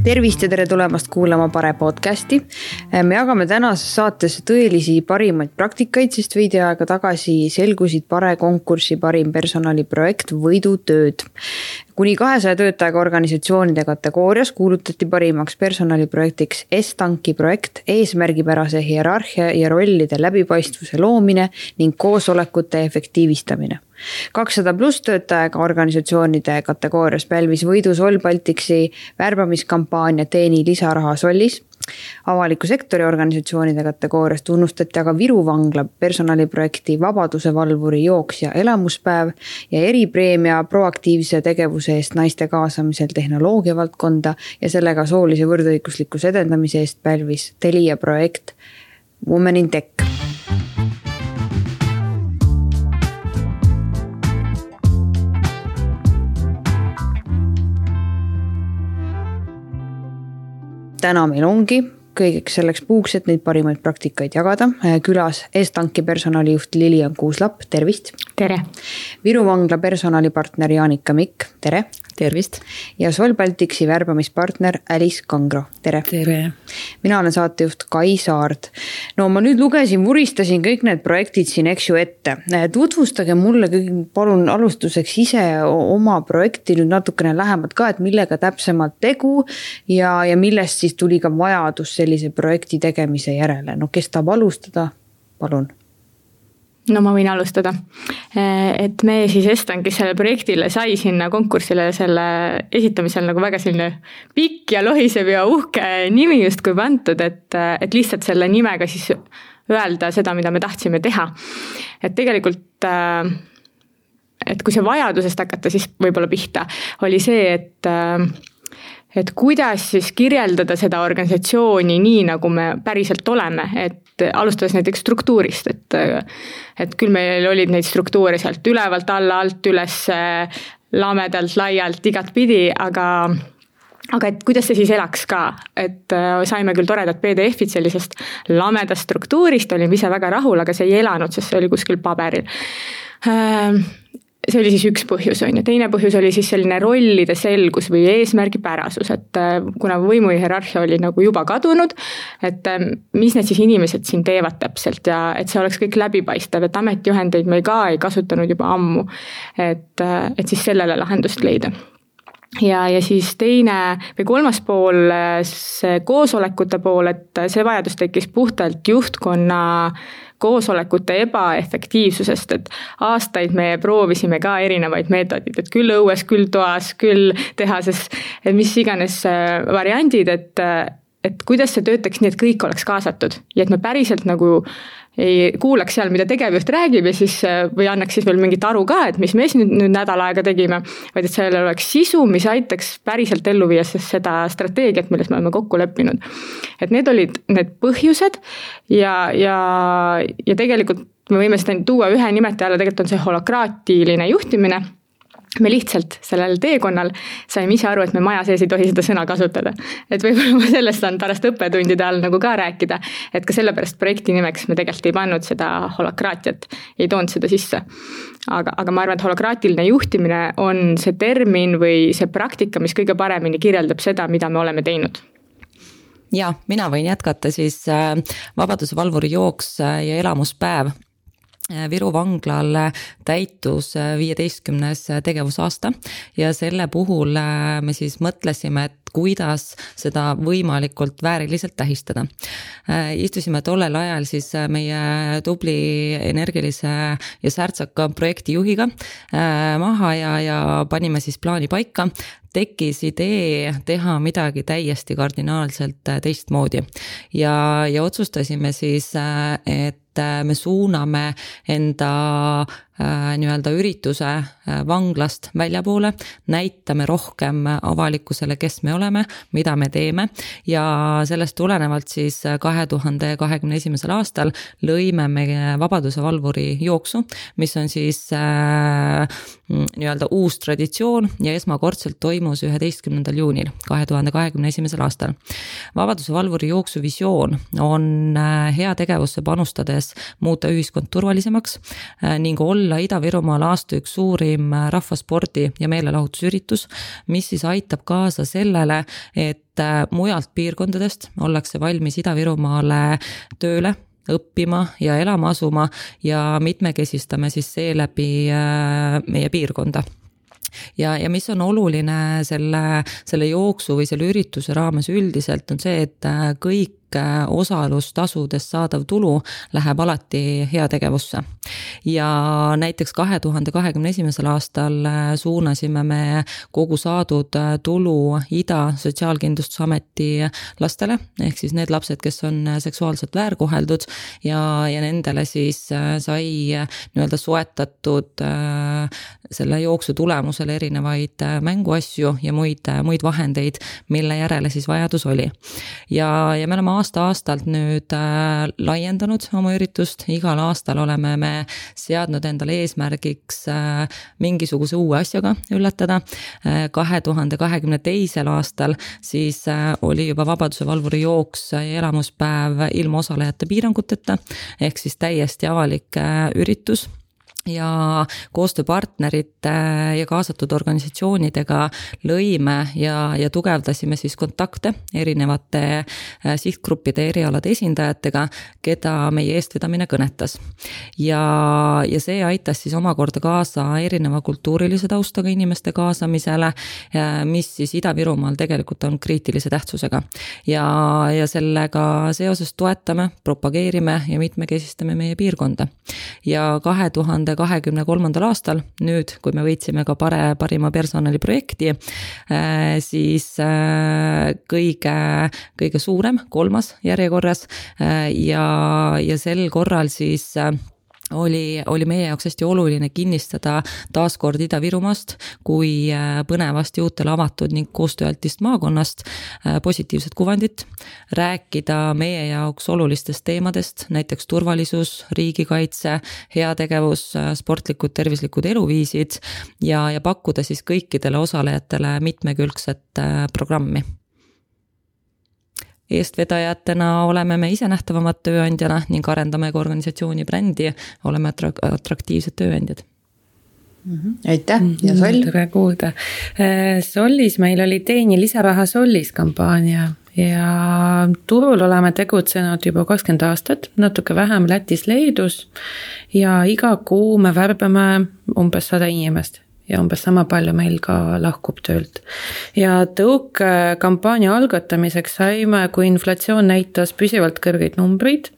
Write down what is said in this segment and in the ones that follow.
Tervist ja tere tulemast kuulama Pare podcasti. Me jagame tänases saates tõelisi parimaid praktikaid, sest veidi aega tagasi selgusid Pare konkursi parim personaliprojekt võidutööd. Kuni 200 töötajaga organisatsioonide kategoorias kuulutati parimaks personaliprojektiks S-tanki projekt, eesmärgipärase hierarhia ja rollide läbipaistvuse loomine ning koosolekute efektiivistamine. 200 pluss töötajaga organisatsioonide kategoorias pälvis võidu Sol Balticsi värbamiskampaania Teeni lisaraha Solis. Avaliku sektori organisatsioonide kategoorias tunnustati aga Viru vangla personaliprojekti Vabaduse valvuri jooks ja elamuspäev ja eripreemia proaktiivse tegevuse eest naiste kaasamisel tehnoloogia valdkonda ja sellega soolise võrdõiguslikkuse edendamise eest pälvis Telia projekt Women in Tech. Täna meil ongi kõigeks selleks puuks, et neid parimaid praktikaid jagada. Külas S-tanki personalijuht Lilian Kuuslap, tervist! Tere! Viru vangla personalipartner Jaanika Mikk, tere! Tervist! Ja Sol Balticsi värbamispartner Alice Kangro, tere! Tere! Mina olen saatejuht Kai Saard. No ma nüüd vuristasin kõik need projektid siin ette. Tutvustage mulle palun alustuseks ise oma projekti nüüd natukene lähemalt ka, et millega täpsemalt tegu ja millest siis tuli ka vajadus sellise projekti tegemise järele. No kes tahab alustada? Palun. No ma võin alustada. Et me siis S-tankis selle projektile sai sinna konkursile selle esitamisel nagu väga selline pikk ja lohisev ja uhke nimi just kui pandud, et lihtsalt selle nimega siis öelda seda, mida me tahtsime teha. Et tegelikult, et kui see vajadusest hakata siis võib-olla pihta, oli see, et kuidas siis kirjeldada seda organisatsiooni nii, nagu me päriselt oleme, et alustades näiteks struktuurist, et küll meil olid neid struktuure sealt ülevalt alla, alt üles, lamedalt, laialt, igat pidi, aga et kuidas see siis elaks ka, et saime küll toredad PDF-id sellisest lamedast struktuurist, olime ise väga rahul, aga see ei elanud, sest see oli kuskil paberil. See oli siis üks põhjus on ja teine põhjus oli siis selline rollide selgus või eesmärgipärasus, et kuna võimu hierarhia oli nagu juba kadunud, et mis need siis inimesed siin teevad täpselt ja et see oleks kõik läbipaistev, et ametijuhendeid me ka ei kasutanud juba ammu, et siis sellele lahendust leida. Ja siis teine või kolmas pool, see koosolekute pool, et see vajadus tekkis puhtalt juhtkonna koosolekute ebaefektiivsusest, et aastaid me proovisime ka erinevaid meetodid, et küll õues, küll toas, küll tehases, et mis iganes variandid, et kuidas see töötaks nii, et kõik oleks kaasatud ja et me päriselt nagu ei kuulaks seal, mida tegevjuht räägib ja siis, või annaks siis veel mingit aru ka, et mis me nüüd nädal aega tegime, vaid et seal oleks sisu, mis aitaks päriselt ellu viia seda strateegiat, milles me oleme kokku leppinud. Et need olid need põhjused ja tegelikult me võime seda tuua ühe nimetaja alla, tegelikult on see holokraatiline juhtimine. Me lihtsalt sellel teekonnal saime ise aru, et me maja sees ei tohi seda sõna kasutada. Et võib-olla ma sellest on pärast õppetundide all nagu ka rääkida, et ka sellepärast projekti nimeks me tegelikult ei pannud seda holokraatiat, ei toonud seda sisse. Aga ma arvan, et holokraatiline juhtimine on see termin või see praktika, mis kõige paremini kirjeldab seda, mida me oleme teinud. Ja, mina võin jätkata siis Vabaduse valvuri jooks ja elamuspäev. Viru vanglal täitus 15. tegevusaasta ja selle puhul me siis mõtlesime, et kuidas seda võimalikult vääriliselt tähistada. Istusime tollel ajal siis meie tubli energilise ja särtsaka projektijuhiga maha ja panime siis plaani paika. Tekkis idee teha midagi täiesti kardinaalselt teistmoodi ja otsustasime siis, et me suuname enda nii-öelda ürituse vanglast väljapoole, näitame rohkem avalikkusele, kes me oleme, mida me teeme ja sellest tulenevalt siis 2021. aastal lõime me Vabaduse valvuri jooksu, mis on siis nii-öelda uus traditsioon ja esmakordselt toimus 11. juunil 2021. aastal. Vabaduse valvuri jooksu visioon on hea tegevusse panustades muuta ühiskond turvalisemaks ning olla olla Ida-Virumaal aasta üks suurim rahvaspordi ja meelelahutusüritus, mis siis aitab kaasa sellele, et mujalt piirkondadest ollakse valmis Ida-Virumaale tööle, õppima ja elama asuma ja mitmekesistame siis seeläbi meie piirkonda. Ja mis on oluline selle jooksu või selle ürituse raames üldiselt on see, et kõik osalustasudest saadav tulu läheb alati heategevusse. Ja näiteks 2021. aastal suunasime me kogu saadud tulu Ida Sotsiaalkindlustusameti lastele, ehk siis need lapsed, kes on seksuaalselt väärkoheldud ja nendele siis sai nii-öelda soetatud selle jooksu tulemusel erinevaid mänguasju ja muid vahendeid, mille järele siis vajadus oli. Ja me oleme aasta-aastalt nüüd laiendanud oma üritust, igal aastal oleme me seadnud endale eesmärgiks mingisuguse uue asjaga üllatada. 2022. aastal siis oli juba Vabaduse valvuri jooks ja elamuspäev ilma osalejate piiranguteta, ehk siis täiesti avalik üritus. Ja koostööpartnerite ja kaasatud organisatsioonidega lõime ja tugevdasime siis kontakte erinevate sihtgruppide erialade esindajatega, keda meie eestvedamine kõnetas. Ja see aitas siis omakorda kaasa erineva kultuurilise taustaga inimeste kaasamisele, mis siis Ida-Virumaal tegelikult on kriitilise tähtsusega. Ja sellega seoses toetame, propageerime ja mitmekesistame meie piirkonda. Ja 2023. aastal, nüüd kui me võitsime ka parima personali projekti, siis kõige suurem, 3. järjekorras ja sel korral siis oli meie jaoks hästi oluline kinnistada taaskord Ida-Virumaast kui põnevast ja uutele avatud ning koostööaltist maakonnast positiivset kuvandit, rääkida meie jaoks olulistest teemadest, näiteks turvalisus, riigikaitse, heategevus, sportlikud, tervislikud eluviisid ja pakkuda siis kõikidele osalejatele mitmekülgset programmi. Eestvedajatena oleme me ise nähtavamad tööandjana ning arendame ka organisatsiooni brändi, oleme atraktiivsed tööandjad. Aitäh ja Sol? Tere kuulda. Solis meil oli Teeni lisaraha Solis kampaania ja turul oleme tegutsenud juba 20 aastat, natuke vähem Lätis, Leedus ja iga kuu me värbame umbes 100 inimest. Ja umbes sama palju meil ka lahkub töölt. Ja tõuke kampaania algatamiseks saime, kui inflatsioon näitas püsivalt kõrgeid numbreid.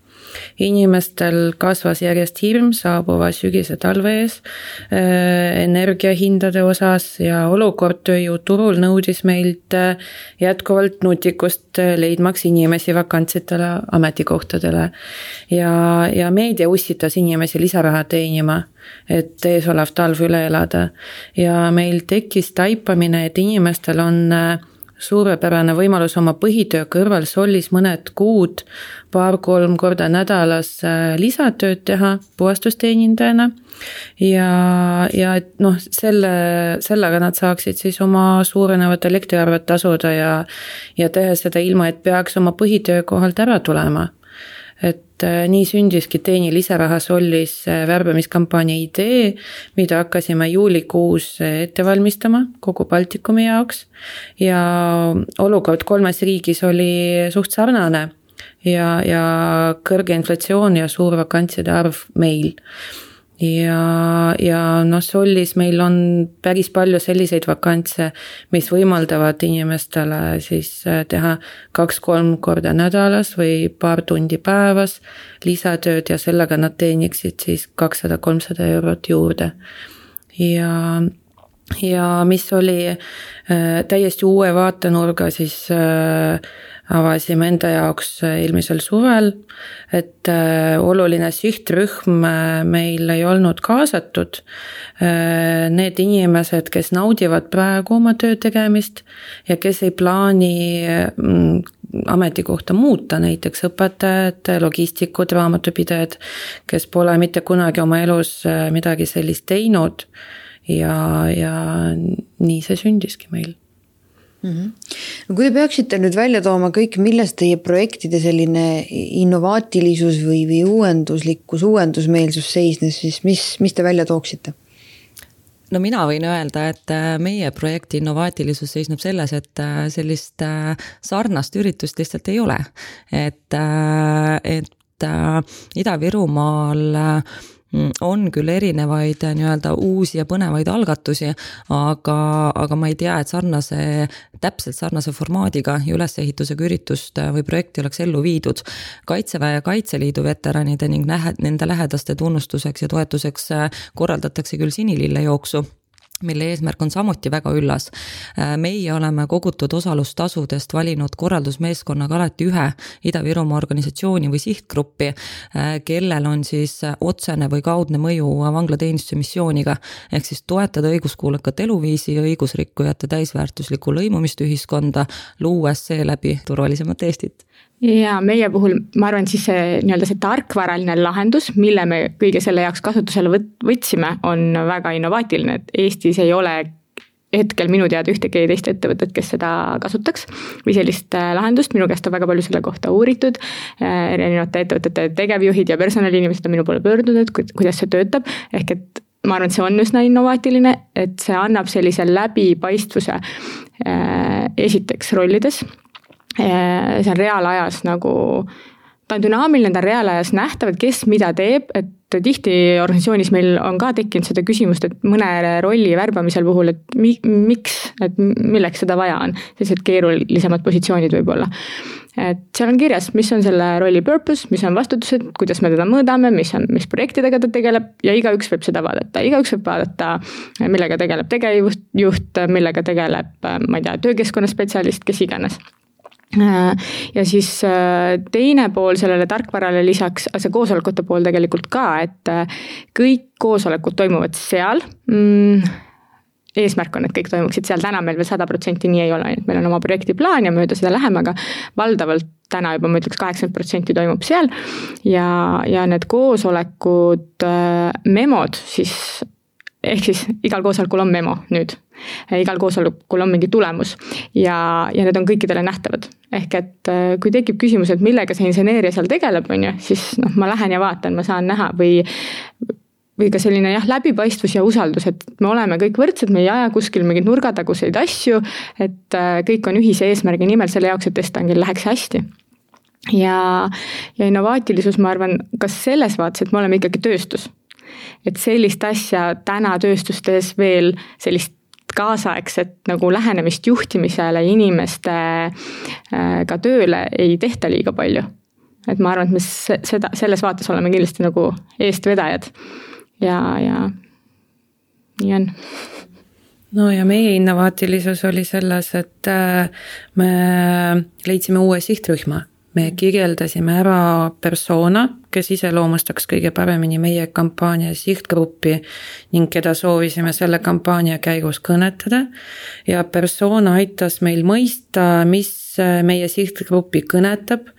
Inimestel kasvas järjest hirm saabuva sügise talve ees, energiahindade osas ja olukord tööjõuturul nõudis meilt jätkuvalt nutikust leidmaks inimesi vakantsitele ametikohtadele. Ja meedia ussitas inimesi lisaraha teenima, et eesolev talv üle elada. Ja meil tekkis taipamine, et inimestel on suurepärane võimalus oma põhitöö kõrval Solis mõned kuud 2-3 korda nädalas lisatööd teha puhastusteenindajana ja sellega nad saaksid siis oma suurenevat elektriarvet tasuda ja teha seda ilma, et peaks oma põhitöö kohalt ära tulema. Et nii sündiski Teeni lisaraha Solis värbamiskampaania idee, mida hakkasime juulikuus ette valmistama kogu Baltikumi jaoks ja olukord 3 riigis oli suht sarnane ja kõrge inflatsioon ja suur vakantside arv meil. Ja Solis meil on päris palju selliseid vakantse, mis võimaldavad inimestele siis teha 2-3 korda nädalas või paar tundi päevas lisatööd ja sellega nad teeniksid siis 200-300 eurot juurde. Ja mis oli täiesti uue vaatenurga, siis avasime enda jaoks eelmisel suvel, et oluline sihtrühm meil ei olnud kaasatud. Need inimesed, kes naudivad praegu oma töö tegemist ja kes ei plaani ametikohta muuta, näiteks õpetajad, logistikud, raamatupidajad, kes pole mitte kunagi oma elus midagi sellist teinud ja nii see sündiski meil. No, kui te peaksite nüüd välja tooma kõik, milles teie projektide selline innovaatilisus või uuendusmeelsus seisnes, siis mis te välja tooksite? No mina võin öelda, et meie projekti innovaatilisus seisneb selles, et sellist sarnast üritust lihtsalt ei ole. Et Ida-Virumaal on küll erinevaid nii-öelda uusi ja põnevaid algatusi, aga ma ei tea, et täpselt sarnase formaadiga ja ülesehitusega üritust või projekti oleks ellu viidud. Kaitseväe ja Kaitseliidu veteranide ning nende lähedaste tunnustuseks ja toetuseks korraldatakse küll sinilille jooksu, mille eesmärk on samuti väga üllas. Meie oleme kogutud osalustasudest valinud korraldusmeeskonnaga alati ühe Ida-Virumaa organisatsiooni või sihtgruppi, kellel on siis otsene või kaudne mõju vanglateenistuse missiooniga, ehk siis toetada õiguskuulekat eluviisi ja õigusrikkujate täisväärtuslikku lõimumist ühiskonda, luues seeläbi turvalisemat Eestit. Ja meie puhul, ma arvan, siis see tarkvaraline lahendus, mille me kõige selle jaoks kasutusele võtsime, on väga innovaatiline, et Eestis ei ole hetkel minu teada ühtegi teist ettevõtet, kes seda kasutaks või sellist lahendust. Minu käest on väga palju selle kohta uuritud, erinevate ettevõtete tegevjuhid ja personaliinimesed on minu poole pöördunud, kuidas see töötab, ehk et ma arvan, et see on üsna innovaatiline, et see annab sellise läbipaistvuse esiteks rollides. See on reaalajas ta on dünaamiline, ta on reaalajas nähtav, et kes mida teeb, et tihti organisatsioonis meil on ka tekkinud seda küsimust, et mõne rolli värbamisel puhul, et miks, et milleks seda vaja on, sellised keerulisemad positsioonid võib-olla. Et seal on kirjas, mis on selle rolli purpose, mis on vastutused, kuidas me teda mõõdame, mis projektidega ta tegeleb ja igaüks võib seda vaadata. Igaüks võib vaadata, millega tegeleb tegevjuht, millega tegeleb, ma ei tea, töökeskkonnaspetsialist, kes iganes. Ja siis teine pool sellele tarkvarale lisaks, see koosolekute pool tegelikult ka, et kõik koosolekud toimuvad seal. Eesmärk on, et kõik toimuksid seal, täna meil veel 100% nii ei ole, meil on oma projektiplaan ja mööda seda läheme, aga valdavalt täna juba ma ütleks 80% toimub seal ja need koosolekud memod siis, ehk siis igal koosolekul on memo nüüd. Igal koosolekul on mingi tulemus ja need on kõikidele nähtavad. Ehk et kui tekib küsimus, et millega see inseneeria seal tegeleb, siis ma lähen ja vaatan, ma saan näha või ka selline läbipaistvus ja usaldus, et me oleme kõik võrdsed, me ei aja kuskil mingid nurgataguseid asju, et kõik on ühise eesmärgi nimel selle jaoks, et testangil läheks hästi. Ja innovaatilisus, ma arvan, kas selles vaates, et me oleme ikkagi tööstus. Et sellist asja täna tööstustes veel sellist kaasaegset nagu lähenemist juhtimisele inimeste ka tööle ei tehta liiga palju. Et ma arvan, et me selles vaates oleme kindlasti nagu eestvedajad ja nii on. No ja meie innovaatilisus oli selles, et me leidsime uue sihtrühma. Me kirjeldasime ära persona, kes iseloomustaks kõige paremini meie kampaania sihtgruppi ning keda soovisime selle kampaania käigus kõnetada. Ja persona aitas meil mõista, mis meie sihtgruppi kõnetab,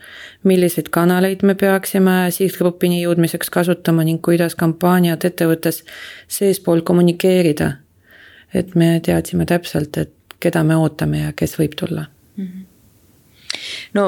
milliseid kanaleid me peaksime sihtgruppini jõudmiseks kasutama ning kuidas kampaaniat ettevõttes seespool kommunikeerida. Et me teadsime täpselt, et keda me ootame ja kes võib tulla. No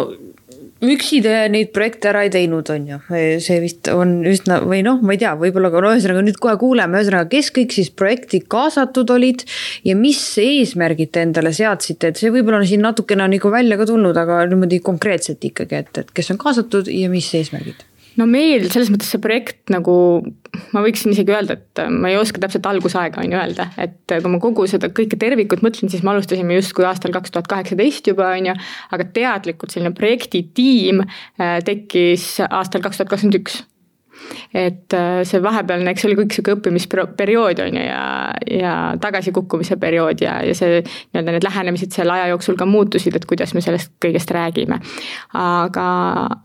üksi te neid projekte ära ei teinud, on ju. See vist on üsna, või ma ei tea, võib-olla ühesõnaga nüüd kohe kuuleme, ühesõnaga, kes kõik siis projekti kaasatud olid ja mis eesmärgid te endale seadsite, et see võib-olla siin natukene on nagu välja ka tulnud, aga niimoodi konkreetselt ikkagi, et kes on kaasatud ja mis eesmärgid? No meil selles mõttes see projekt nagu, ma võiksin isegi öelda, et ma ei oska täpselt algusaega on ju öelda, et kui ma kogu seda kõike tervikut mõtlen, siis me alustasime just kui aastal 2018 juba on ju, aga teadlikult selline projektitiim tekkis aastal 2021. Et see vahepealne, eks oli kõik see õppimisperiood on ju ja tagasikukkumise periood ja see nii-öelda need lähenemised selle aja jooksul ka muutusid, et kuidas me sellest kõigest räägime. Aga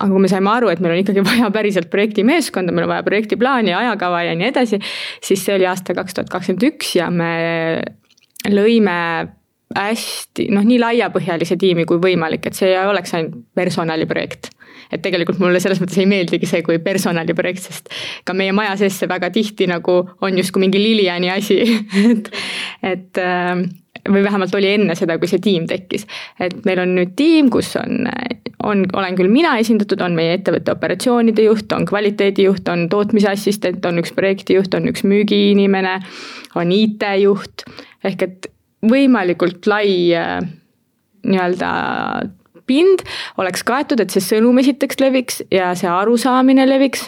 kui me saime aru, et meil on ikkagi vaja päriselt projektimeeskonda, meil on vaja projektiplaani, ajakava ja nii edasi, siis see oli aasta 2021 ja me lõime hästi, nii laiapõhjalise tiimi kui võimalik, et see ei oleks ainult personaliprojekt. Et tegelikult mulle selles mõttes ei meeldigi see kui personaliprojekt, sest ka meie maja sees see väga tihti nagu on just kui mingi Liliani asi. või vähemalt oli enne seda, kui see tiim tekkis. Et meil on nüüd tiim, kus olen küll mina esindatud, on meie ettevõtte operatsioonide juht, on kvaliteedijuht, on tootmisassistent, on üks projektijuht, on üks müügiinimene, on IT-juht, ehk et võimalikult lai nii-öelda pind oleks kaetud, et see sõnum esiteks leviks ja see arusaamine leviks.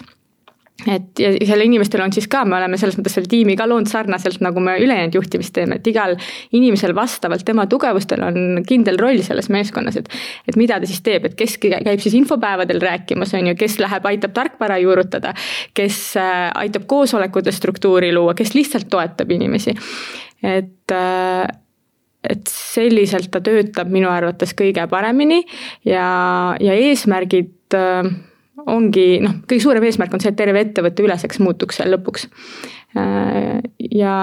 Et ja selle inimestel on siis ka, me oleme selles mõttes selle tiimi ka loonud sarnaselt, nagu me ülejäänud juhtimist teeme, et igal inimesel vastavalt tema tugevustel on kindel roll selles meeskonnas, et mida ta siis teeb, et kes käib siis infopäevadel rääkimas, on ju, kes läheb, aitab tarkvara juurutada, kes aitab koosolekute struktuuri luua, kes lihtsalt toetab inimesi. Et selliselt ta töötab minu arvates kõige paremini ja eesmärgid ongi, kõige suurem eesmärk on see, et terve ettevõtte üleseks muutuks seal lõpuks. Ja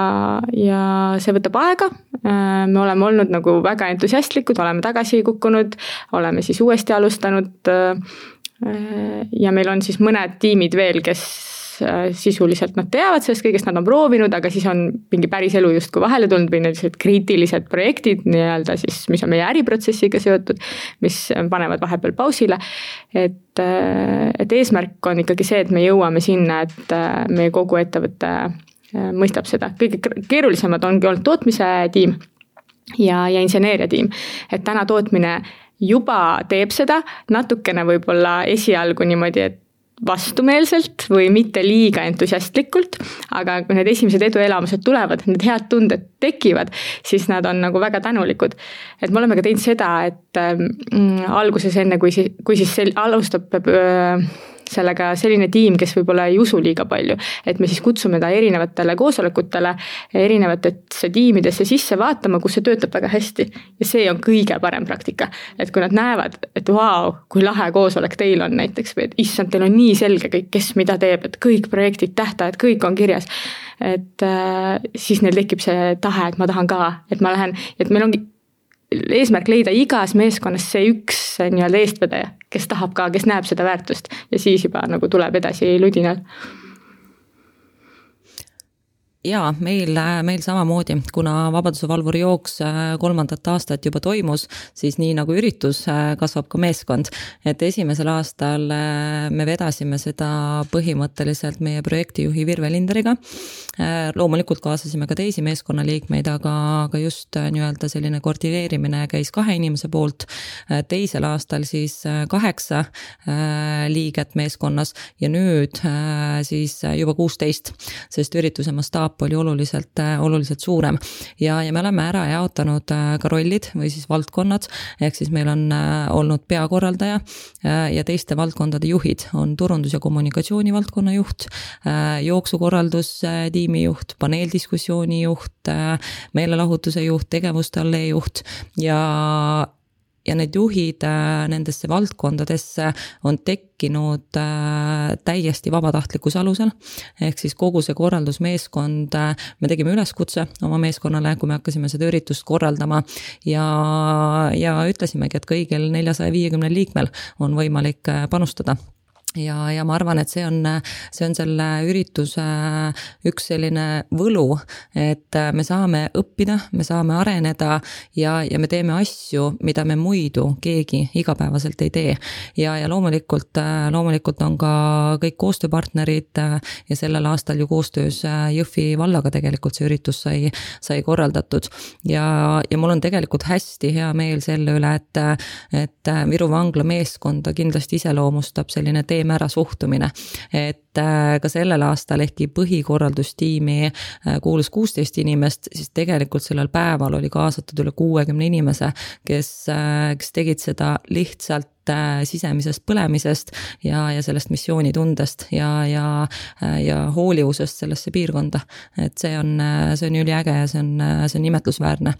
see võtab aega, me oleme olnud nagu väga entusiastlikud, oleme tagasi kukkunud, oleme siis uuesti alustanud ja meil on siis mõned tiimid veel, kes sisuliselt nad teavad sellest kõigest, nad on proovinud, aga siis on mingi päris elu justkui vahele tulnud või need kriitilised projektid nii-öelda siis, mis on meie äriprotsessiga seotud, mis panevad vahepeal pausile. Et eesmärk on ikkagi see, et me jõuame sinna, et meie kogu ettevõte mõistab seda. Kõige keerulisemad ongi olnud tootmise tiim ja inseneeria tiim. Et täna tootmine juba teeb seda natukene võib-olla esialgu niimoodi, et vastumeelselt või mitte liiga entusiastlikult, aga kui need esimesed eduelamused tulevad, need head tunded tekivad, siis nad on nagu väga tänulikud. Et me oleme ka teinud seda, et alguses enne, kui siis alustab sellega selline tiim, kes võib-olla ei usu liiga palju, et me siis kutsume ta erinevatele koosolekutele, erinevatesse tiimidesse sisse vaatama, kus see töötab väga hästi. Ja see on kõige parem praktika. Et kui nad näevad, et vau, kui lahe koosolek teil on näiteks, või et issand, teil on nii selge kõik, kes mida teeb, et kõik projektid, tähtajad, kõik on kirjas. Et siis neil tekib see tahe, et ma tahan ka, et ma lähen, et meil ongi eesmärk leida igas meeskonnas see üks nii-öelda eestvedaja, kes tahab ka, kes näeb seda väärtust ja siis juba nagu tuleb edasi ludinal. Jaa, meil samamoodi, kuna Vabaduse valvuri jooks 3. aastat juba toimus, siis nii nagu üritus kasvab ka meeskond. Et esimesel aastal me vedasime seda põhimõtteliselt meie projektijuhi Virve Linderiga. Loomulikult kaasasime ka teisi meeskonnaliikmeid, aga just nii-öelda selline koordineerimine käis 2 inimese poolt. Teisel aastal siis 8 liiget meeskonnas ja nüüd siis juba 16, sest ürituse mastaap oli oluliselt suurem ja me oleme ära jaotanud ka rollid või siis valdkonnad, ehk siis meil on olnud peakorraldaja ja teiste valdkondade juhid, on turundus- ja kommunikatsiooni valdkonna juht, jooksukorraldus tiimi juht, paneeldiskussiooni juht, meelelahutuse juht, tegevuste allee juht ja need juhid nendesse valdkondadesse on tekkinud täiesti vabatahtlikkuse alusel. Ehk siis kogu see korraldusmeeskond, me tegime üleskutse oma meeskonnale, kui me hakkasime seda üritust korraldama ja ütlesimegi, et kõigil 450 liikmel on võimalik panustada. Ja ma arvan, et see on selle ürituse üks selline võlu, et me saame õppida, me saame areneda ja me teeme asju, mida me muidu keegi igapäevaselt ei tee. Ja loomulikult on ka kõik koostööpartnerid ja sellel aastal ju koostöös Jõhvi vallaga tegelikult see üritus sai korraldatud. Ja mul on tegelikult hästi hea meel selle üle, et Viru vangla meeskonda kindlasti iseloomustab selline teeme ära suhtumine, et ka sellel aastal ehkki põhikorraldustiimi kuulus 16 inimest, siis tegelikult sellel päeval oli kaasatud üle 60 inimese, kes tegid seda lihtsalt sisemisest põlemisest ja sellest missioonitundest ja hoolivusest sellesse piirkonda. Et see on üliäge ja see on imetlusväärne.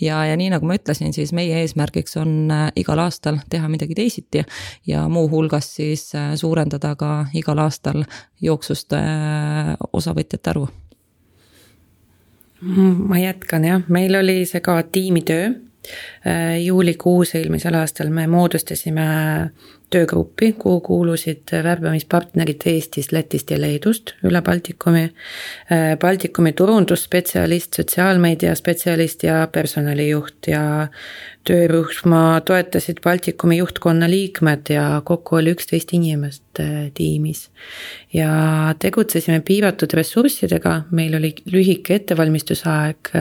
Ja nii nagu ma ütlesin, siis meie eesmärgiks on igal aastal teha midagi teisiti ja muu hulgas siis suurendada ka igal aastal jooksust osavõtjate arvu. Ma jätkan jah, meil oli see ka tiimitöö. Juulikuus eelmisel aastal me moodustasime töögruppi, kuhu kuulusid värbamispartnerid Eestist, Lätist ja Leedust üle Baltikumi, Baltikumi turundusspetsialist, sotsiaalmeedia spetsialist ja personalijuht ja töörühma toetasid Baltikumi juhtkonna liikmed ja kokku oli 11 inimest tiimis. Ja tegutsesime piiratud ressurssidega, meil oli lühike ettevalmistusaeg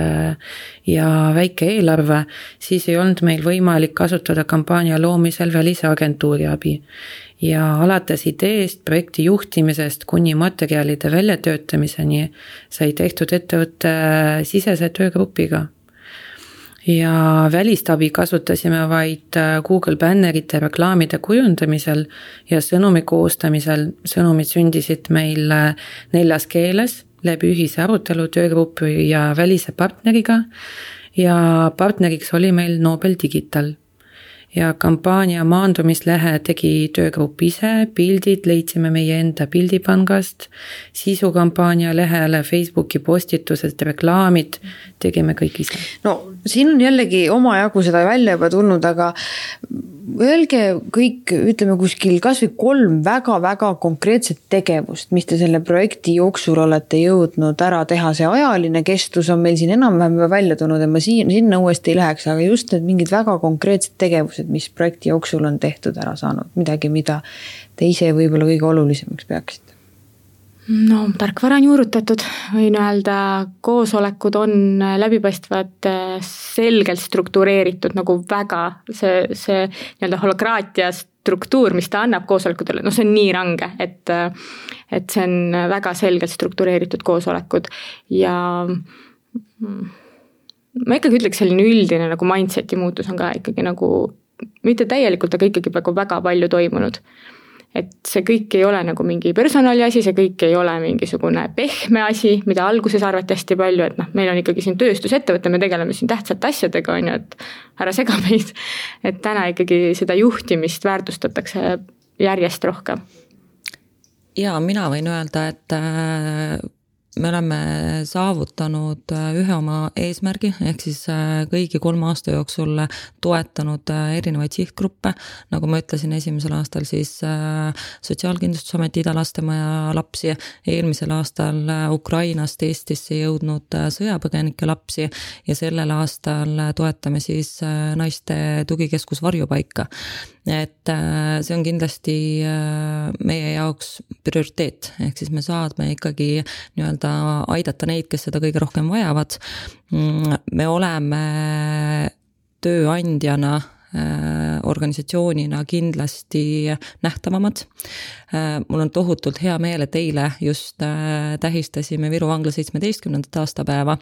ja väike eelarve, siis ei olnud meil võimalik kasutada kampaania loomisel välisagentuuri abi. Ja alates ideest, projekti juhtimisest kuni materjalide väljatöötamiseni sai tehtud ettevõtte sisese töögrupiga. Ja välistabi kasutasime vaid Google bannerite reklaamide kujundamisel ja sõnumi koostamisel. Sõnumid sündisid meil 4 keeles läbi ühise arutelu töögrupi ja välise partneriga ja partneriks oli meil Nobel Digital. Ja kampaania maandumislehe tegi töögrupp ise, pildid leidsime meie enda pildipangast, sisukampaania lehele, Facebooki postitused, reklaamid, tegime kõik ise. No siin on jällegi omajagu seda välja juba tulnud, aga öelge kõik, ütleme kuskil kas või 3 väga-väga konkreetset tegevust, mis te selle projekti jooksul olete jõudnud ära teha. See ajaline kestus on meil siin enam-vähem välja tulnud ja ma sinna uuesti ei läheks, aga just need mingid väga konkreetsed tegevused, mis projekti jooksul on tehtud ära saanud, midagi, mida te ise võib-olla kõige olulisemaks peaksite. No tarkvara on juurutatud, võin öelda, koosolekud on läbipaistvad, selgelt struktureeritud, nagu väga see nii-öelda holokraatia struktuur, mis ta annab koosolekutele, no see on nii range, et see on väga selgelt struktureeritud koosolekud ja ma ikkagi ütleks selline üldine nagu mindseti muutus on ka ikkagi nagu, mitte täielikult, aga ikkagi väga palju toimunud. Et see kõik ei ole nagu mingi personali asi, see kõik ei ole mingisugune pehme asi, mida alguses arvati hästi palju, et meil on ikkagi siin tööstusettevõte, me tegeleme siin tähtsate asjadega, on ju, et ära sega meid. Et täna ikkagi seda juhtimist väärtustatakse järjest rohkem. Ja mina võin öelda, et me oleme saavutanud ühe oma eesmärgi, ehk siis kõigi 3 aasta jooksul toetanud erinevaid sihtgruppe. Nagu ma ütlesin, esimesel aastal siis Sotsiaalkindlustusameti Ida-Lastemaja lapsi, eelmisel aastal Ukrainast Eestisse jõudnud sõjapõgenike lapsi ja sellel aastal toetame siis naiste tugikeskus Varjupaika. Et see on kindlasti meie jaoks prioriteet, ehk siis me saadme ikkagi nii-öelda aidata neid, kes seda kõige rohkem vajavad. Me oleme tööandjana organisatsioonina kindlasti nähtavamad. Mul on tohutult hea meel, et eile just tähistasime Viru Vangla 17. aastapäeva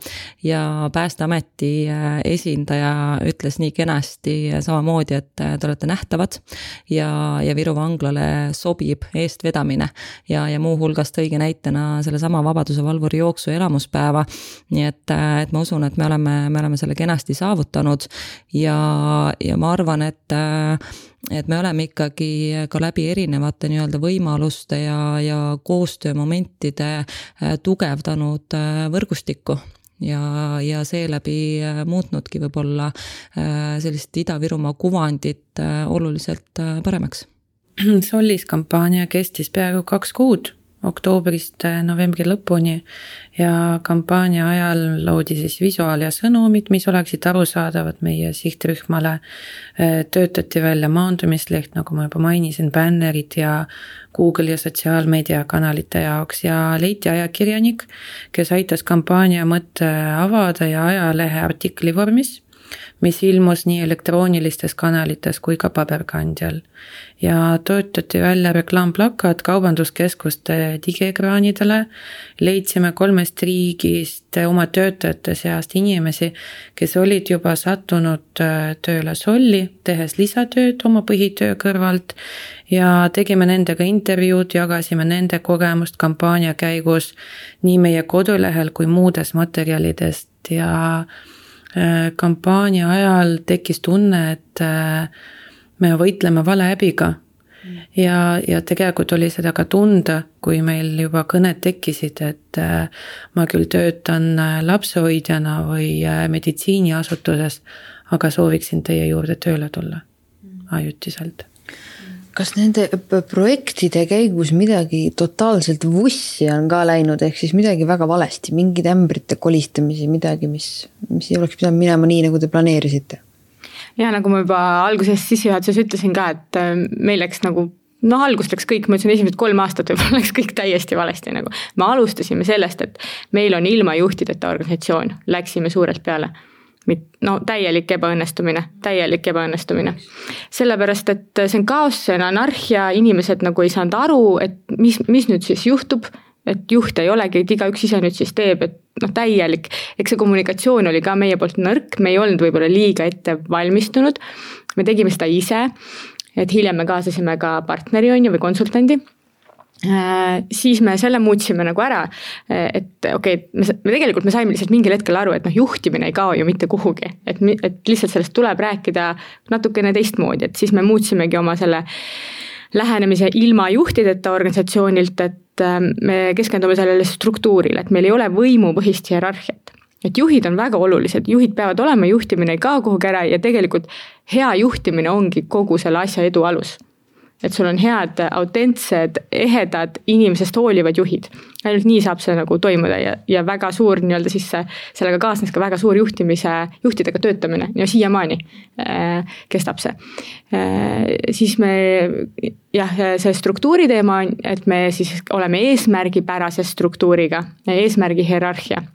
ja Päästeameti esindaja ütles nii kenasti samamoodi, et te olete nähtavad ja Viru Vanglale sobib eestvedamine ja muu hulgas tõigi näitena selle sama Vabaduse valvuri jooksu elamuspäeva. Nii et ma usun, et me oleme selle kenasti saavutanud ja ma arvan, et me oleme ikkagi ka läbi erinevate nii-öelda võimaluste ja koostöömomentide tugevdanud võrgustikku ja seeläbi muutnudki võib-olla sellist Ida-Virumaa kuvandit oluliselt paremaks. Sollis kampaania kestis peaaegu 2 kuud, oktoobrist novembri lõpuni ja kampaania ajal loodi siis visuaal ja sõnumid, mis oleksid arusaadavad meie sihtrühmale. Töötati välja maandumisleht, nagu ma juba mainisin, bannerid ja Google ja sotsiaalmeedia kanalite jaoks ja leiti ajakirjanik, kes aitas kampaania mõtte avada ja ajalehe artikli vormis, mis ilmus nii elektroonilistes kanalites kui ka paberkandjal. Ja töötati välja reklaamplakat kaubanduskeskuste digiekraanidele, leidsime 3 riigist oma töötajate seast inimesi, kes olid juba sattunud tööle Solli, tehes lisatööd oma põhitöö kõrvalt ja tegime nendega intervjuud, jagasime nende kogemust kampaania käigus nii meie kodulehel kui muudes materjalidest ja kampaania ajal tekkis tunne, et me võitleme valehäbiga ja tegelikult oli seda ka tunda, kui meil juba kõned tekkisid, et ma küll töötan lapsehoidjana või meditsiiniasutuses, aga sooviksin teie juurde tööle tulla ajutiselt. kas nende projektide käigus midagi totaalselt vussi on ka läinud, ehk siis midagi väga valesti, mingid ämbrite kolistamisi, midagi, mis ei oleks pidanud minema nii, nagu te planeerisite? Ja nagu ma juba alguses sissejuhatuses ütlesin ka, et meil läks nagu algust läks kõik, ma ütlesin esimesed 3 aastat võib-olla läks kõik täiesti valesti nagu. Me alustasime sellest, et meil on ilma juhtideta organisatsioon, läksime suurelt peale. Täielik ebaõnnestumine. Sellepärast, et see on kaos, see on anarhia, inimesed nagu ei saanud aru, et mis nüüd siis juhtub, et juht ei olegi, et igaüks ise nüüd siis teeb, et täielik. Eks see kommunikatsioon oli ka meie poolt nõrk, me ei olnud võib-olla liiga ette valmistunud, me tegime seda ise, et hiljem me kaasasime ka partneri või konsultandi. Siis me selle muutsime nagu ära, et me saime lihtsalt mingil hetkel aru, et juhtimine ei kao ju mitte kuhugi, et lihtsalt sellest tuleb rääkida natukene teistmoodi, et siis me muutsimegi oma selle lähenemise ilma juhtideta organisatsioonilt, et me keskendume sellele struktuurile, et meil ei ole võimupõhist hierarhiat. Et juhid on väga olulised, juhid peavad olema, juhtimine ei kao kuhugi ära ja tegelikult hea juhtimine ongi kogu selle asja edu alus. Et sul on head, autentsed, ehedad, inimesest hoolivad juhid. Ainult nii saab see nagu toimuda ja väga suur nii-öelda siis sellega kaasnes ka väga suur juhtidega töötamine ja siiamaani kestab see. Siis see struktuuri teema on, et me siis oleme eesmärgipärase struktuuriga, eesmärgi hierarhia.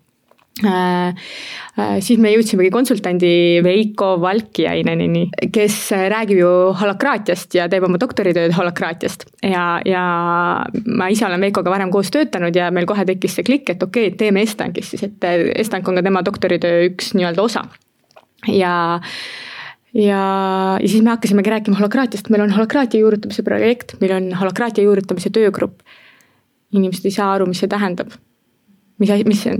Siis me jõudsimegi konsultandi Veiko Valkiainenini, kes räägib ju holokraatiast ja teeb oma doktoritööd holokraatiast ja ma ise olen Veikoga varem koos töötanud ja meil kohe tekkis see klikk, et teeme Estankis siis, et Estank on ka tema doktoritöö üks nii-öelda osa ja siis me hakkasimegi rääkima holokraatiast, meil on holokraatia juurutamise projekt, meil on holokraatia juurutamise töögrupp. Inimesed ei saa aru, mis see tähendab. Mis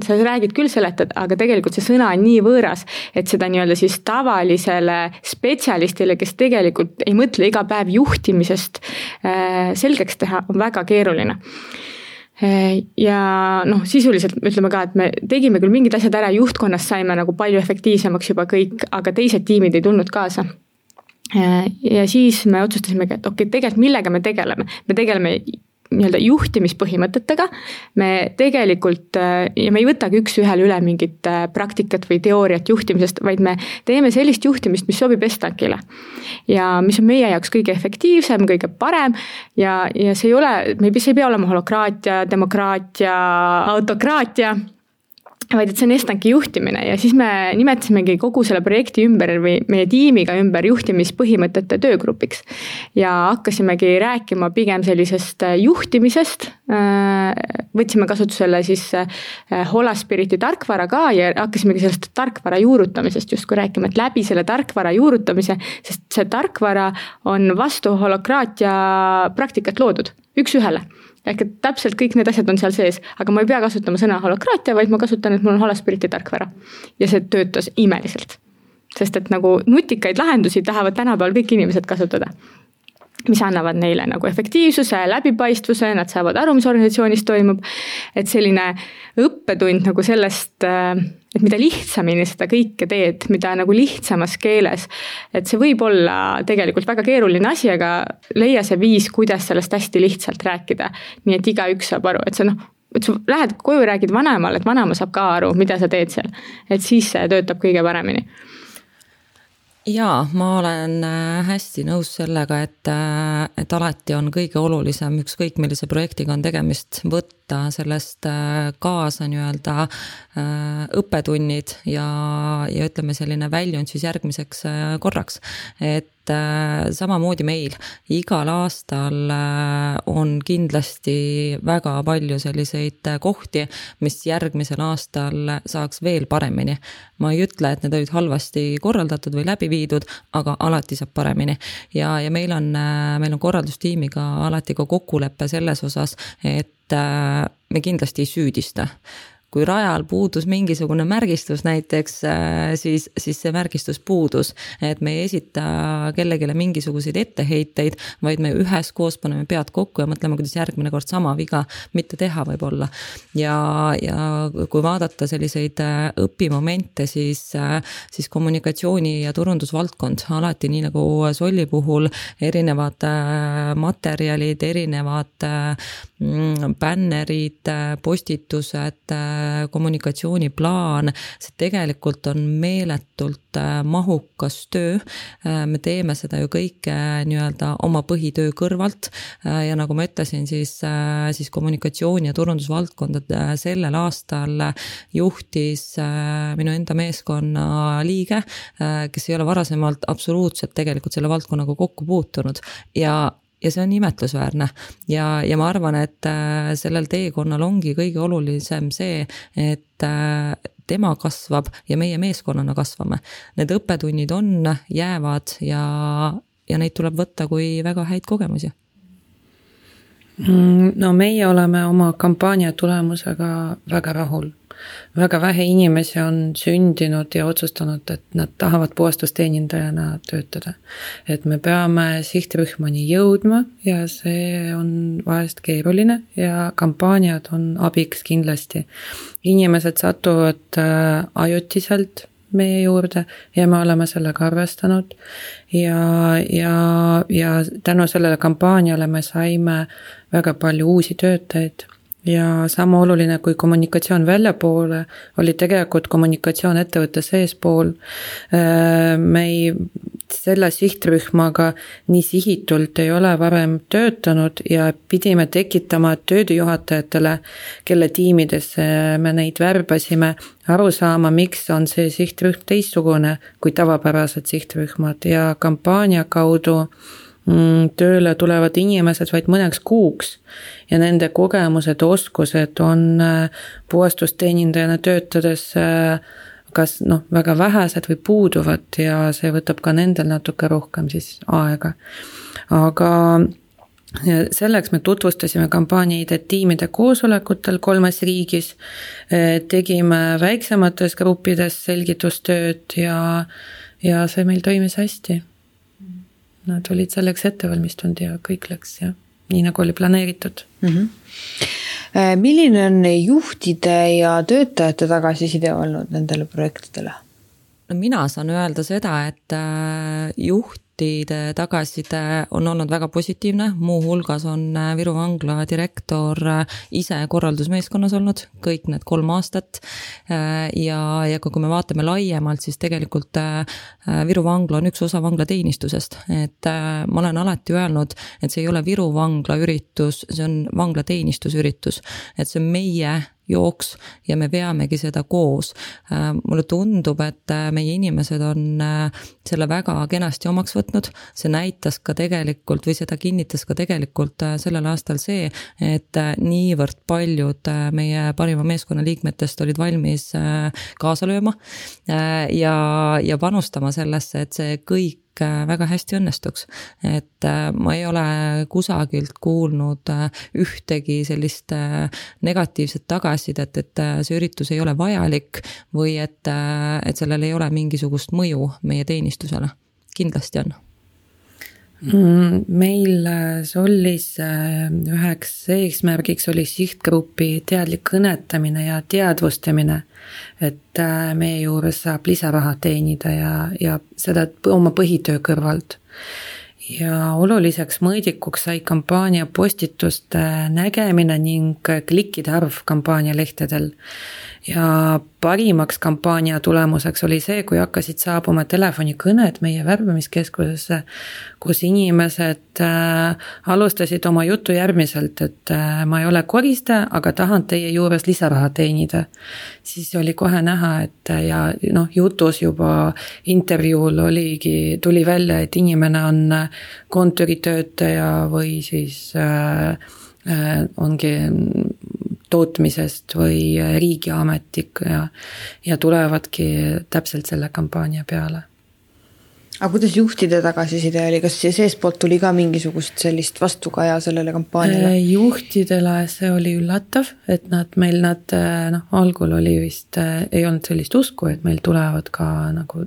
sa räägid küll seletad, aga tegelikult see sõna on nii võõras, et seda nii-öelda siis tavalisele spetsialistile, kes tegelikult ei mõtle iga päev juhtimisest selgeks teha, on väga keeruline. Ja sisuliselt ütleme ka, et me tegime küll mingid asjad ära, juhtkonnast saime nagu palju efektiivsemaks juba kõik, aga teised tiimid ei tulnud kaasa. Ja siis me otsustasimegi, et tegelikult millega me tegeleme? Me tegeleme nii-öelda juhtimispõhimõtetega, me tegelikult, ja me ei võtagi üks ühele üle mingit praktikat või teooriat juhtimisest, vaid me teeme sellist juhtimist, mis sobib Estankile. Ja mis on meie jaoks kõige efektiivsem, kõige parem ja see ei pea olema holokraatia, demokraatia, autokraatia, vaid et see on Estanki juhtimine ja siis me nimetasimegi kogu selle projekti ümber või meie tiimiga ümber juhtimispõhimõtete töögrupiks ja hakkasimegi rääkima pigem sellisest juhtimisest, võtsime kasutusele siis Holaspiriti tarkvara ka ja hakkasimegi sellest tarkvara juurutamisest justkui rääkima, et läbi selle tarkvara juurutamise, sest see tarkvara on vastu holokraatia praktikat loodud, üks ühele. Ehk et täpselt kõik need asjad on seal sees, aga ma ei pea kasutama sõna holokraatia, vaid ma kasutan, et mul on Holaspiriti tarkvara. Ja see töötas imeliselt, sest et nagu nutikaid lahendusi tahavad tänapäeval kõik inimesed kasutada, mis annavad neile nagu efektiivsuse, läbipaistvuse, nad saavad aru, mis organisatsioonis toimub, et selline õppetund nagu sellest, et mida lihtsamini seda kõike teed, mida nagu lihtsamas keeles, et see võib olla tegelikult väga keeruline asi, aga leia see viis, kuidas sellest hästi lihtsalt rääkida, nii et igaüks saab aru, et et sa lähed koju räägid vanemal, et vanema saab ka aru, mida sa teed seal, et siis see töötab kõige paremini. Jaa, ma olen hästi nõus sellega, et alati on kõige olulisem ükskõik millise projektiga on tegemist võtta sellest kaasa nii-öelda õppetunnid ja ütleme selline väljund siis järgmiseks korraks, et samamoodi meil igal aastal on kindlasti väga palju selliseid kohti, mis järgmisel aastal saaks veel paremini. Ma ei ütle, et need olid halvasti korraldatud või läbi viidud, aga alati saab paremini. Ja meil on korraldustiimiga alati ka kokkuleppe selles osas, et me kindlasti ei süüdista. kui rajal puudus mingisugune märgistus näiteks, siis see märgistus puudus, et me ei esita kellegile mingisuguseid etteheiteid, vaid me üheskoos paneme pead kokku ja mõtleme, kuidas järgmine kord sama viga mitte teha võib-olla. Ja kui vaadata selliseid õpimomente, siis kommunikatsiooni ja turundusvaldkond alati nii nagu Solli puhul erinevad materjalid, erinevad bännerid, postitused, kommunikatsiooniplaan, see tegelikult on meeletult mahukas töö. Me teeme seda ju kõike nii-öelda oma põhitöö kõrvalt ja nagu ma ütlesin, siis kommunikatsiooni ja turundusvaldkondad sellel aastal juhtis minu enda meeskonna liige, kes ei ole varasemalt absoluutselt tegelikult selle valdkonnaga kokku puutunud ja see on imetlusväärne ja ma arvan, et sellel teekonnal ongi kõige olulisem see, et tema kasvab ja meie meeskonnana kasvame. Need õppetunnid on, jäävad ja neid tuleb võtta kui väga häid kogemusi. No meie oleme oma kampaania tulemusega väga rahul. Väga vähe inimesi on sündinud ja otsustanud, et nad tahavad puhastusteenindajana töötada. Et me peame sihtrühmani jõudma ja see on vahest keeruline ja kampaaniad on abiks kindlasti. Inimesed satuvad ajutiselt meie juurde ja me oleme sellega arvestanud ja tänu sellele kampaaniale me saime väga palju uusi töötajaid. Ja sama oluline kui kommunikatsioon väljapoole oli tegelikult kommunikatsioon ettevõtte seespool. Me selle sihtrühmaga nii sihitult ei ole varem töötanud ja pidime tekitama töödejuhatajatele, kelle tiimidesse me neid värbasime, aru saama, miks on see sihtrühm teistsugune kui tavapärased sihtrühmad ja kampaania kaudu tööle tulevad inimesed vaid mõneks kuuks ja nende kogemused, oskused on puhastusteenindajana töötades kas väga vähesed või puuduvad ja see võtab ka nendel natuke rohkem siis aega. Aga selleks me tutvustasime kampaaniaid tiimide koosolekutel 3 riigis, tegime väiksemates gruppides selgitustööd ja see meil toimis hästi. Nad olid selleks ettevalmistunud ja kõik läks ja nii nagu oli planeeritud. Milline on juhtide ja töötajate tagasiside olnud nendele projektidele? No mina saan öelda seda, et juhtide tagasiside on olnud väga positiivne, muu hulgas on Viru Vangla direktor ise korraldusmeeskonnas olnud kõik need 3 aastat ja kui me vaatame laiemalt, siis tegelikult Viru Vangla on üks osa vanglateenistusest, et ma olen alati öelnud, et see ei ole Viru Vangla üritus, see on vanglateenistusüritus, et see on meie jooks ja me veamegi seda koos. Mulle tundub, et meie inimesed on selle väga kenasti omaks võtnud, see näitas ka tegelikult või seda kinnitas ka tegelikult sellel aastal see, et niivõrd paljud meie parima meeskonna liikmetest olid valmis kaasa lööma ja panustama sellesse, et see kõik väga hästi õnnestuks, et ma ei ole kusagilt kuulnud ühtegi sellist negatiivset tagasisidet, et see üritus ei ole vajalik või et sellel ei ole mingisugust mõju meie teenistusele. Kindlasti on. Meil Sollis üheks eesmärgiks oli sihtgrupi teadlik kõnetamine ja teadvustamine, et meie juures saab lisaraha teenida ja seda oma põhitöö kõrvalt. Ja oluliseks mõõdikuks sai kampaania postituste nägemine ning klikkide arv kampaania lehtedel. Ja parimaks kampaania tulemuseks oli see, kui hakkasid saabuma telefonikõned meie värbamiskeskusesse, kus inimesed alustasid oma jutu järgmiselt, et ma ei ole koristaja, aga tahan teie juures lisaraha teenida. Siis oli kohe näha, et jutus juba intervjuul tuli välja, et inimene on kontoritöötaja või siis ongi tootmisest või riigiametnik ja tulevadki täpselt selle kampaania peale. Aga kuidas juhtide tagasiside oli, kas seespoolt tuli ka mingisugust sellist vastukaja sellele kampaaniale? Juhtidele see oli üllatav, et algul oli vist, ei olnud sellist usku, et meil tulevad ka nagu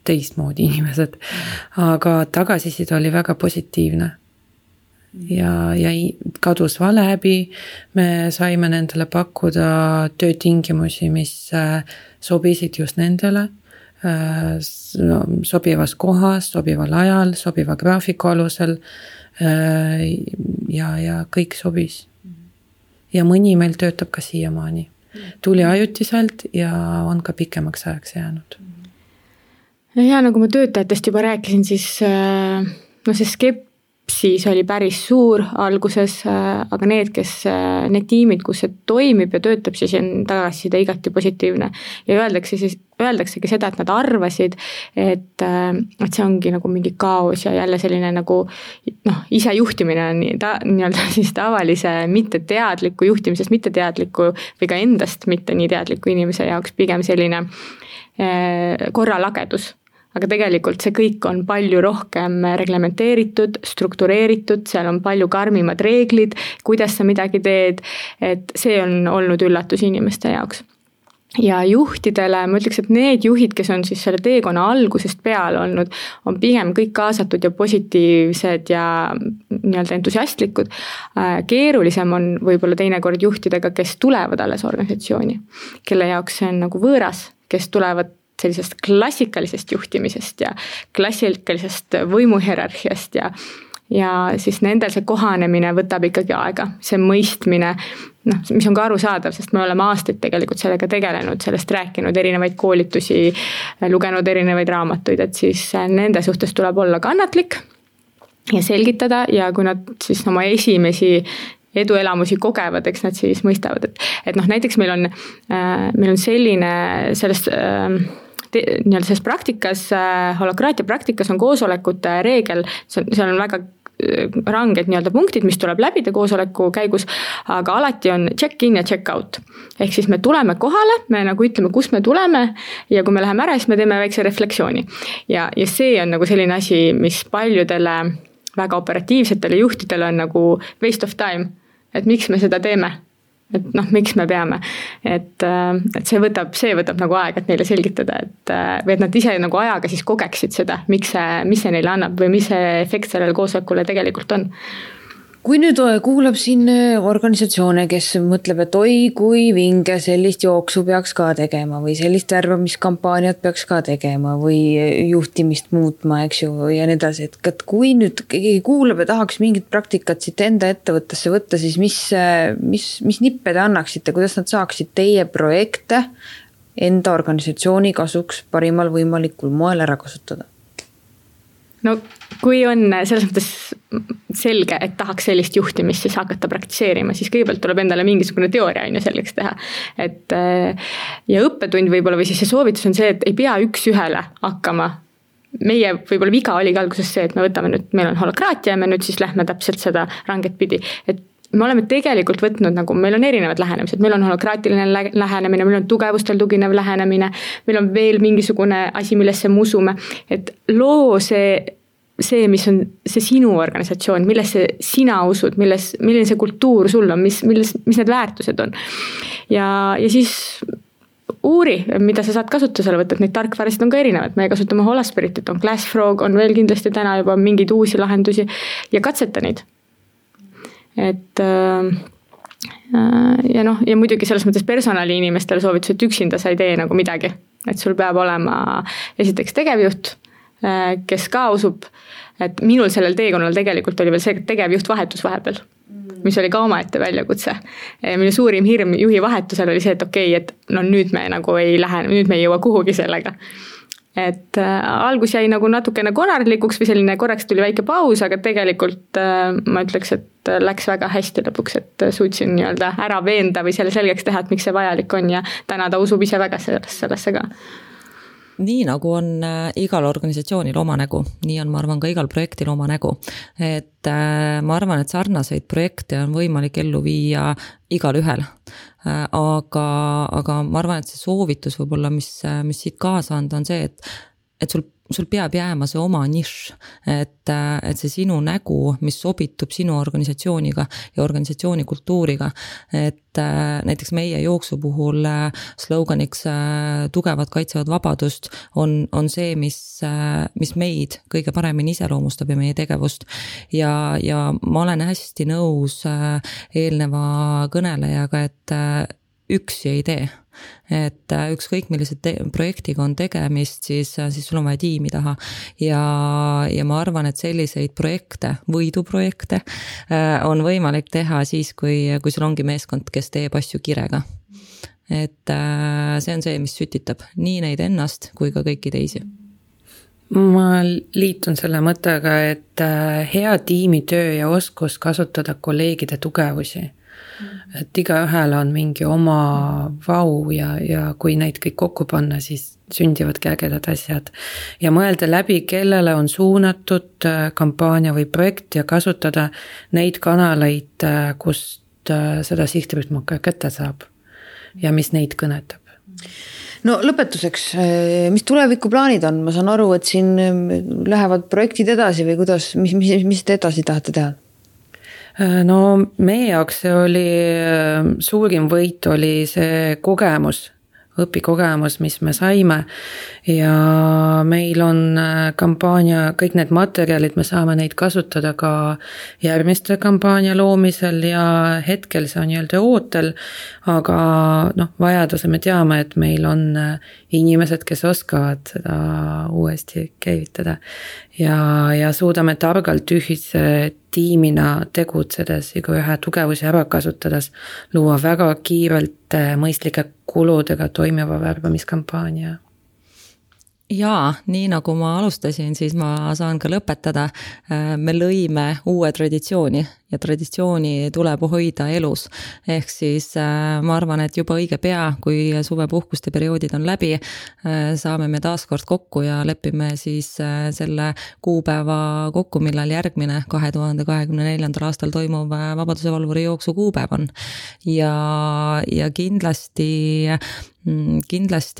teistmoodi inimesed, aga tagasiside oli väga positiivne ja kadus vale häbi, me saime nendele pakkuda töötingimusi, mis sobisid just nendele, sobivas kohas, sobival ajal, sobiva graafiku alusel ja kõik sobis. Ja mõni meil töötab ka siiamaani. Tuli ajutiselt ja on ka pikemaks ajaks jäänud. Ja nagu ma töötajatest juba rääkisin, siis see skepsis oli päris suur alguses, aga need tiimid, kus see toimib ja töötab, siis on tagasiside igati positiivne. Ja öeldaksegi seda, et nad arvasid, et see ongi nagu mingi kaos ja jälle selline nagu ise juhtimine on nii-öelda siis tavalise mitteteadliku juhtimisest mitteteadliku või ka endast mitte nii teadliku inimese jaoks pigem selline korralagedus. Aga tegelikult see kõik on palju rohkem reglementeeritud, struktureeritud, seal on palju karmimad reeglid, kuidas sa midagi teed, et see on olnud üllatus inimeste jaoks. Ja juhtidele, ma ütleks, et need juhid, kes on siis selle teekonna algusest peale olnud, on pigem kõik kaasatud ja positiivsed ja nii-öelda entusiastlikud. Keerulisem on võib-olla teinekord juhtidega, kes tulevad alles organisatsiooni, kelle jaoks see on nagu võõras, kes tulevad sellisest klassikalisest juhtimisest ja klassikalisest võimuhierarhiast ja siis nendel see kohanemine võtab ikkagi aega, see mõistmine, mis on ka arusaadav, sest me oleme aastaid tegelikult sellega tegelenud, sellest rääkinud, erinevaid koolitusi, lugenud erinevaid raamatuid, et siis nende suhtes tuleb olla kannatlik ja selgitada ja kui nad siis oma esimesi eduelamusi kogevad, eks nad siis mõistavad, et näiteks meil on selline sellest selles praktikas, holokraatia praktikas on koosolekute reegel, seal on väga ranged nii-öelda punktid, mis tuleb läbida koosoleku käigus, aga alati on check-in ja check-out. Ehk siis me tuleme kohale, me nagu ütleme, kus me tuleme ja kui me läheme ära, siis me teeme väikse refleksiooni. Ja see on nagu selline asi, mis paljudele väga operatiivsetele juhtidele on nagu waste of time, et miks me seda teeme. Et miks me peame, et see võtab nagu aega, et neile selgitada, või et nad ise nagu ajaga siis kogeksid seda, mis see neile annab või mis see efekt sellele koosolekule tegelikult on. Kui nüüd kuulab siin organisatsioone, kes mõtleb, et oi, kui vinge sellist jooksu peaks ka tegema või sellist värbamiskampaaniat peaks ka tegema või juhtimist muutma, eks ju, ja nii edasi, et kui nüüd keegi kuulab ja tahaks mingit praktikat siit enda ettevõttesse võtta, siis mis nippe te annaksite, kuidas nad saaksid teie projekte enda organisatsiooni kasuks parimal võimalikul moel ära kasutada? No kui on selles mõttes selge, et tahaks sellist juhtimist siis hakata praktiseerima, siis kõigepealt tuleb endale mingisugune teooria selleks teha. Ja õppetund võib-olla või siis see soovitus on see, et ei pea üks ühele hakkama. Meie võib-olla viga oli alguses see, et me võtame nüüd, meil on holokraatia ja me nüüd siis lähme täpselt seda ranget pidi. Et me oleme tegelikult võtnud, nagu meil on erinevad lähenemised, meil on holokraatiline lähenemine, meil on tugevustel tuginev lähenemine, meil on veel mingisugune asi, millesse me usume, et loo see, mis on see sinu organisatsioon, millesse sina usud, milline see kultuur sul on, mis need väärtused on. Ja siis uuri, mida sa saad kasutusele võtta, et neid tarkvarasid on ka erinevad, me kasutame Holaspiritit, on Glassfrog, on veel kindlasti täna juba mingeid uusi lahendusi ja katseta neid. Ja muidugi selles mõttes personali inimestele soovitus, et üksinda sa ei tee nagu midagi, et sul peab olema esiteks tegevjuht, kes ka usub, et minul sellel teekonnal tegelikult oli veel see tegevjuht vahetus vahepeal, mis oli ka omaette väljakutse. Minu suurim hirm juhi vahetusel oli see, et okei, et nüüd me nagu ei lähe, nüüd me ei jõua kuhugi sellega. Et algus jäi nagu natukene konarlikuks või selline korraks tuli väike paus, aga tegelikult ma ütleks, et läks väga hästi lõpuks, et suutsin nii-öelda ära veenda või selle selgeks teha, et miks see vajalik on ja täna ta usub ise väga sellesse ka. Nii nagu on igal organisatsioonil oma nägu, nii on, ma arvan, ka igal projektil oma nägu. Et ma arvan, et sarnaseid projekte on võimalik ellu viia igal ühel. Aga ma arvan, et see soovitus võib-olla, mis siit kaasa anda, on see, et sul sul peab jääma see oma nišš, et see sinu nägu, mis sobitub sinu organisatsiooniga ja organisatsiooni kultuuriga, et näiteks meie jooksu puhul sloganiks tugevad kaitsevad vabadust on see, mis meid kõige paremini iseloomustab ja meie tegevust ja ma olen hästi nõus eelneva kõnelejaga, et üksi ei tee. Et ükskõik millised projektiga on tegemist, siis sul on vaja tiimi taha ja ma arvan, et selliseid projekte, võiduprojekte on võimalik teha siis, kui sul ongi meeskond, kes teeb asju kirega. Et see on see, mis sütitab nii neid ennast kui ka kõiki teisi. Ma liitun selle mõttega, et hea tiimitöö ja oskus kasutada kolleegide tugevusi. Et igaühel on mingi oma vau ja kui neid kõik kokku panna, siis sündivadki ägedad asjad. Ja mõelda läbi, kellele on suunatud kampaania või projekt ja kasutada neid kanaleid, kust seda sihtrühma kätte saab ja mis neid kõnetab. No lõpetuseks, mis tulevikuplaanid on? Ma saan aru, et siin lähevad projektid edasi või kuidas, mis te edasi tahate teha? No meie jaoks see oli, suurim võit oli see kogemus, õpikogemus, mis me saime ja meil on kampaania, kõik need materjalid, me saame neid kasutada ka järgmiste kampaania loomisel ja hetkel see on nii-öelda ootel, aga vajaduse me teame, et meil on inimesed, kes oskavad seda uuesti käivitada ja suudame targalt ühise tiimina tegutsedes ja ühe tugevusi ära kasutades luua väga kiirelt mõistlike kuludega toimiva värbamiskampaania. Jaa, nii nagu ma alustasin, siis ma saan ka lõpetada. Me lõime uue traditsiooni ja traditsiooni tuleb hoida elus. Ehk siis ma arvan, et juba õige pea, kui suvepuhkuste perioodid on läbi, saame me taas kord kokku ja lepime siis selle kuupäeva kokku, millal järgmine 2024. aastal toimuv Vabaduse valvuri jooksu kuupäev on. Ja kindlasti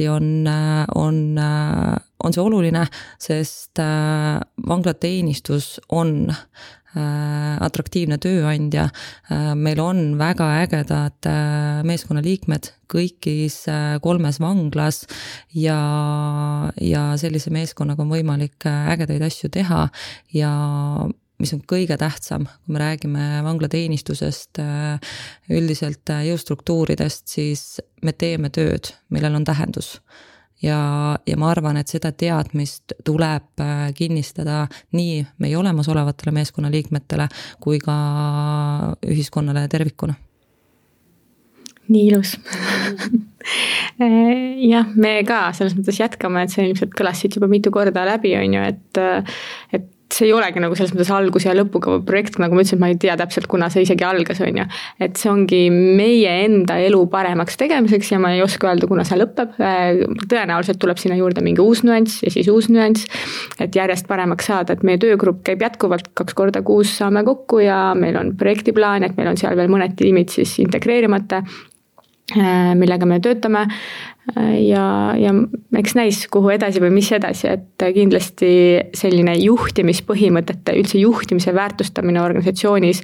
on see oluline, sest vanglateenistus on atraktiivne tööandja. Meil on väga ägedad meeskonnaliikmed kõigis 3 vanglas ja sellise meeskonnaga on võimalik ägedaid asju teha ja mis on kõige tähtsam, kui me räägime vanglateenistusest, üldiselt jõustruktuuridest, siis me teeme tööd, millel on tähendus. Ja ma arvan, et seda teadmist tuleb kinnistada nii meie olemasolevatele meeskonnaliikmetele kui ka ühiskonnale tervikuna. Nii ilus. Jah, me ka selles mõttes jätkame, et see ilmselt kõlas siit juba mitu korda läbi, on ju, et see ei olegi nagu selles mõttes algus ja lõpuga projekt, nagu ma ütlesin, ma ei tea täpselt, kuna see isegi algas, on ju. Et see ongi meie enda elu paremaks tegemiseks ja ma ei oska öelda, kuna see lõpeb. Tõenäoliselt tuleb sinna juurde mingi uus nüanss ja siis uus nüanss, et järjest paremaks saada, et meie töögrupp käib jätkuvalt 2 korda kuus saame kokku ja meil on projektiplaan, et meil on seal veel mõned tiimid siis integreerimata, millega me töötame ja eks näis, kuhu edasi või mis edasi, et kindlasti selline juhtimispõhimõtete, üldse juhtimise väärtustamine organisatsioonis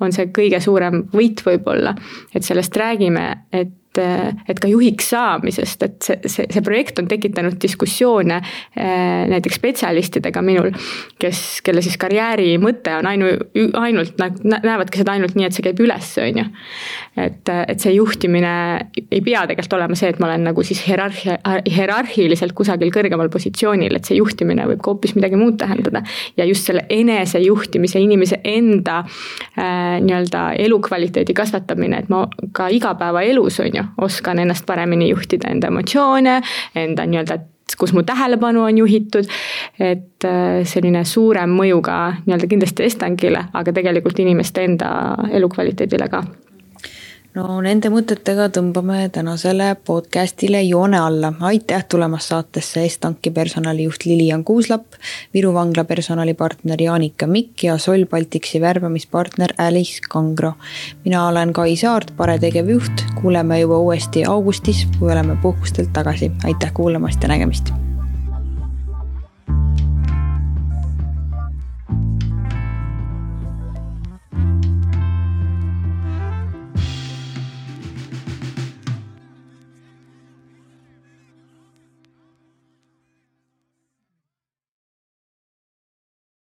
on see kõige suurem võit võib-olla, et sellest räägime, et ka juhiks saamisest, et see projekt on tekitanud diskussioone näiteks spetsialistidega minul, kelle siis karjääri mõte on ainult näevadki seda ainult nii, et see käib üles, on ju. Et see juhtimine ei pea tegelikult olema see, et ma olen nagu siis hierarhiliselt kusagil kõrgemal positsioonil, et see juhtimine võib hoopis midagi muud tähendada ja just selle enese juhtimise, inimese enda nii-öelda elukvaliteedi kasvatamine, et ma ka igapäeva elus, on ju, oskan ennast paremini juhtida, enda emotsioone, enda nii-öelda, kus mu tähelepanu on juhitud, et selline suurem mõju ka nii-öelda kindlasti Estangile, aga tegelikult inimeste enda elukvaliteedile ka. No nende mõtetega tõmbame tänasele podcastile joone alla. Aitäh tulemast saatesse Estanki personalijuht Lilian Kuuslap, Viru vangla personalipartner Jaanika Mikk ja Sol Baltiksi värbamispartner Alice Kangro. Mina olen Kai Saart, Pare tegevjuht. Kuuleme juba uuesti augustis, kui oleme puhkustelt tagasi. Aitäh kuulamast ja nägemist!